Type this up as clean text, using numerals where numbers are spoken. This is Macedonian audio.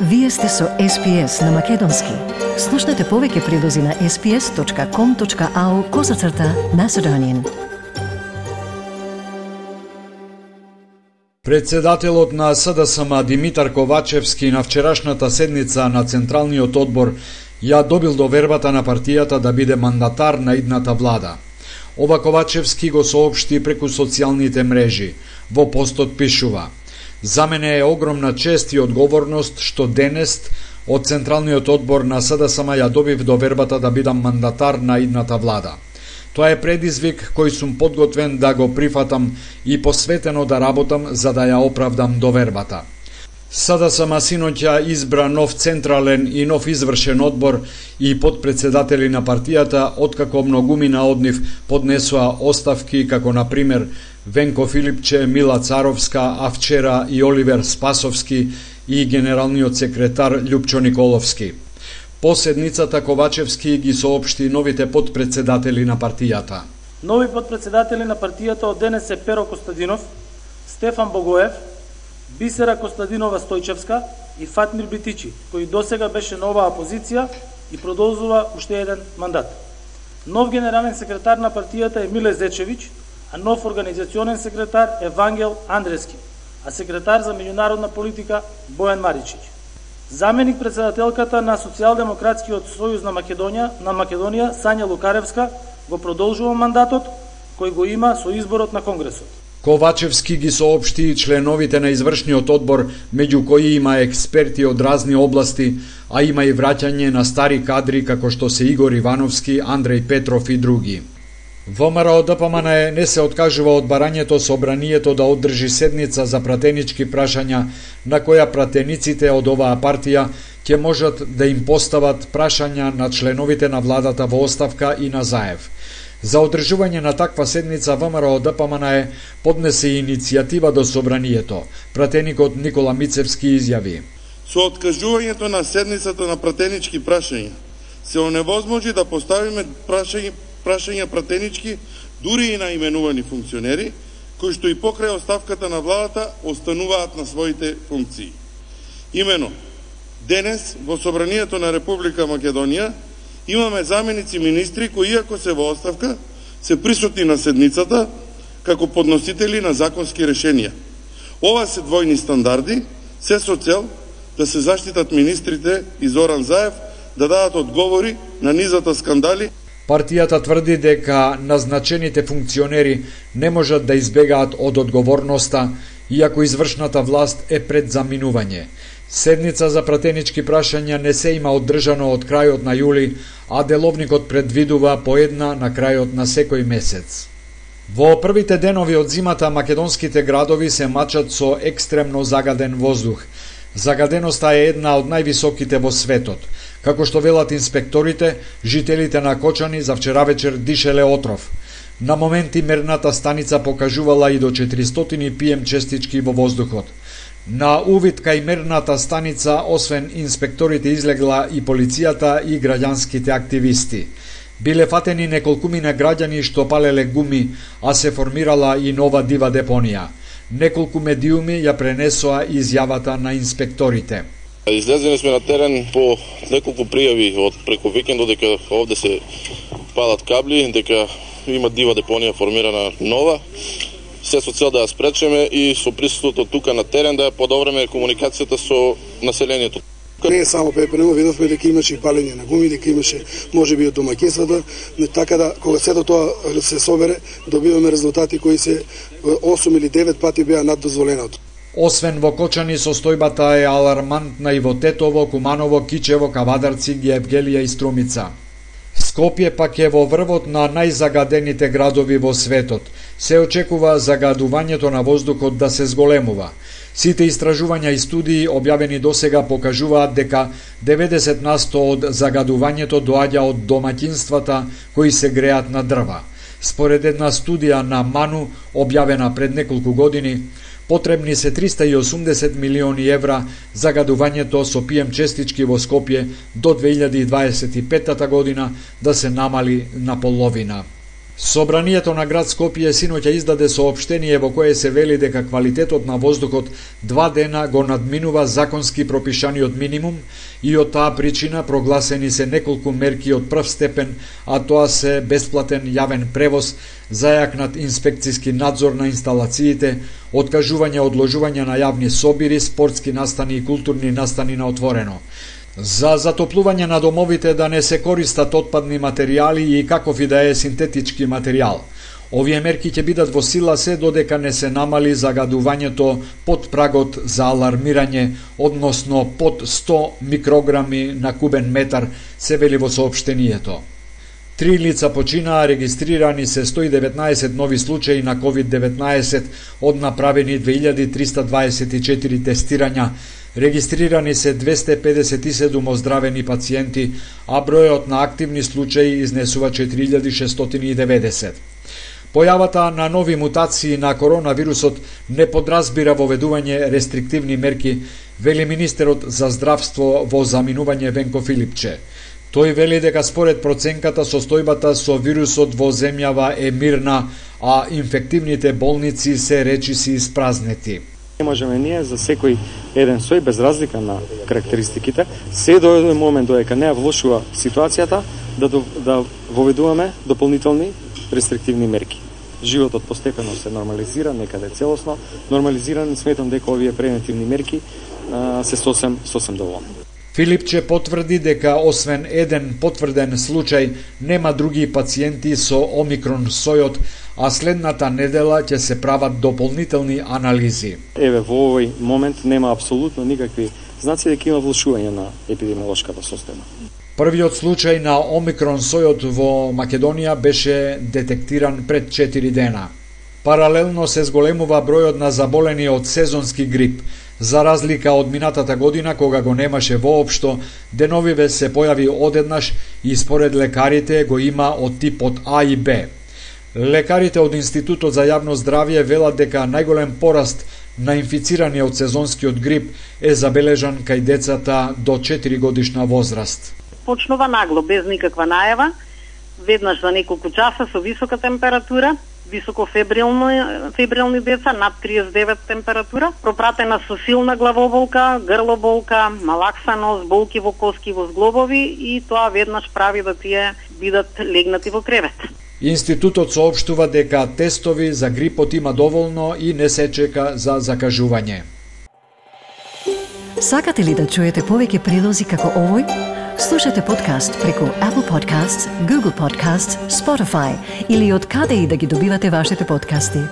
Вие сте со SPS на Македонски. Слушнете повеќе прилози на sps.com.au/Macedonian. Председателот на СДСМ Димитар Ковачевски на вчерашната седница на Централниот одбор ја добил довербата на партијата да биде мандатар на идната влада. Ова Ковачевски го соопшти преку социјалните мрежи. Во постот пишува: "За мене е огромна чест и одговорност што денес од Централниот одбор на СДСМ ја добив довербата да бидам мандатар на идната влада. Тоа е предизвик кој сум подготвен да го прифатам и посветено да работам за да ја оправдам довербата." СДСМ синоќа избра нов централен и нов извршен одбор и подпредседатели на партијата, откако многумина од нив поднесоа оставки, како на пример Венко Филипче, Мила Царовска, а вчера и Оливер Спасовски и генералниот секретар Љупчо Николовски. По седницата Ковачевски ги соопшти новите подпредседатели на партијата. Нови подпредседатели на партијата од денес е Перо Костадинов, Стефан Богоев, Бисера Костадинова Стојчевска и Фатмир Битичи, кој досега беше на оваа позиција и продолжува уште еден мандат. Нов генерален секретар на партијата е Миле Зечевич, а нов организационен секретар е Вангел Андрески, а секретар за меѓународна политика Бојан Маричич. Заменик председателката на Социјалдемократскиот сојуз на Македонија Сања Лукаревска го продолжува мандатот кој го има со изборот на Конгресот. Ковачевски ги соопшти и членовите на извршниот одбор, меѓу кои има експерти од разни области, а има и враќање на стари кадри како што се Игор Ивановски, Андреј Петров и други. ВМРО ДПМН не се откажува од барањето собранието да одржи седница за пратенички прашања, на која пратениците од оваа партија ќе можат да им постават прашања на членовите на владата во оставка и на Заев. За одржување на таква седница ВМРО ДПМН поднесе иницијатива до собранието. Пратеникот Никола Мицевски изјави: "Со откажувањето на седницата на пратенички прашања се оневозможи да поставиме прашања пратенички дури и на именувани функционери, кои што и покрај оставката на владата остануваат на своите функции. Имено, денес во собранието на Република Македонија имаме заменици министри кои, иако се во оставка, се присутни на седницата како подносители на законски решенија. Ова се двојни стандарди, се со цел да се заштитат министрите и Зоран Заев да дадат одговори на низата скандали. Партијата тврди дека назначените функционери не можат да избегаат од одговорноста, иако извршната власт е пред заминување. Седница за пратенички прашања не се има одржано од крајот на јули, а деловникот предвидува по една на крајот на секој месец. Во првите денови од зимата македонските градови се мачат со екстремно загаден воздух. Загаденоста е една од највисоките во светот. Како што велат инспекторите, жителите на Кочани за вчера вечер дишеле отров. На моменти мерната станица покажувала и до 400 PM честички во воздухот. На увид кај мерната станица, освен инспекторите, излегла и полицијата и граѓанските активисти. Биле фатени неколкумина граѓани што палеле гуми, а се формирала и нова дива депонија. Неколку медиуми ја пренесоа изјавата на инспекторите. Излезени сме на терен по неколку пријави од преку викендот дека овде се палат кабли, дека има дива депонија формирана нова. Се со цел да ја спречеме и со присуството тука на терен да ја подобриме комуникацијата со населението. Не само ППН, видовме дека имаше и палење на гуми, дека имаше можеби од домаќинствата, така да кога сето тоа се собере, добиваме резултати кои се 8 или 9 пати беа над дозволеното. Освен во Кочани, состојбата е алармантна и во Тетово, Куманово, Кичево, Кавадарци, Гевгелија и Струмица. Скопје пак е во врвот на најзагадените градови во светот. Се очекува загадувањето на воздухот да се зголемува. Сите истражувања и студии објавени досега покажуваат дека 90% од загадувањето доаѓа од домаќинствата кои се греат на дрва. Според една студија на МАНУ, објавена пред неколку години, потребни се 380 милиони евра загадувањето со PM честички во Скопје до 2025 година да се намали на половина. Собранието на град Скопје синоќа издаде соопштение во кое се вели дека квалитетот на воздухот 2 дена го надминува законски пропишаниот минимум и од таа причина прогласени се неколку мерки од прв степен, а тоа се бесплатен јавен превоз, зајакнат инспекциски надзор на инсталациите, откажување одложување на јавни собири, спортски настани и културни настани на отворено. За затоплување на домовите да не се користат отпадни материјали и каков и да е синтетички материјал. Овие мерки ќе бидат во сила се додека не се намали загадувањето под прагот за алармирање, односно под 100 микрограми на кубен метар, се вели во соопштението. 3 лица починаа, регистрирани се 119 нови случаи на COVID-19 од направени 2324 тестирања, регистрирани се 257 оздравени пациенти, а бројот на активни случаи изнесува 4690. Појавата на нови мутации на коронавирусот не подразбира воведување рестриктивни мерки, вели министерот за здравство во заминување Венко Филипче. Тој вели дека според проценката состојбата со вирусот во земјава е мирна, а инфективните болници се речиси испразнети. Не можеме ние за секој еден сој, без разлика на карактеристиките, се до еден момент додека не ја влошува ситуацијата, да воведуваме дополнителни рестриктивни мерки. Животот постепено се нормализира, некаде целосно нормализиран, сметам дека овие превентивни мерки се сосем доволни. Филипче потврди дека освен еден потврден случај, нема други пациенти со омикрон сојот, а следната недела ќе се прават дополнителни анализи. Еве, во овој момент нема апсолутно никакви знаци дека има влошување на епидемиолошката состојба. Првиот случај на омикрон сојот во Македонија беше детектиран пред 4 дена. Паралелно се зголемува бројот на заболени од сезонски грип. За разлика од минатата година, кога го немаше воопшто, деновиве се појави одеднаш и според лекарите го има од типот А и Б. Лекарите од Институтот за јавно здравје велат дека најголем пораст на инфицирани од сезонскиот грип е забележан кај децата до 4 годишна возраст. Почнува нагло, без никаква најава, веднаш за неколку часа со висока температура, високо фебрилни деца, над 39 температура, пропратена со силна главоболка, грлоболка, малаксаност, болки во коски, во зглобови и тоа веднаш прави да тие бидат легнати во кревет. Институтот соопштува дека тестови за грипот има доволно и не се чека за закажување. Сакате ли да чуете повеќе прилози како овој? Слушате подкаст преку Apple Podcasts, Google Podcasts, Spotify или од каде и да ги добивате вашите подкасти.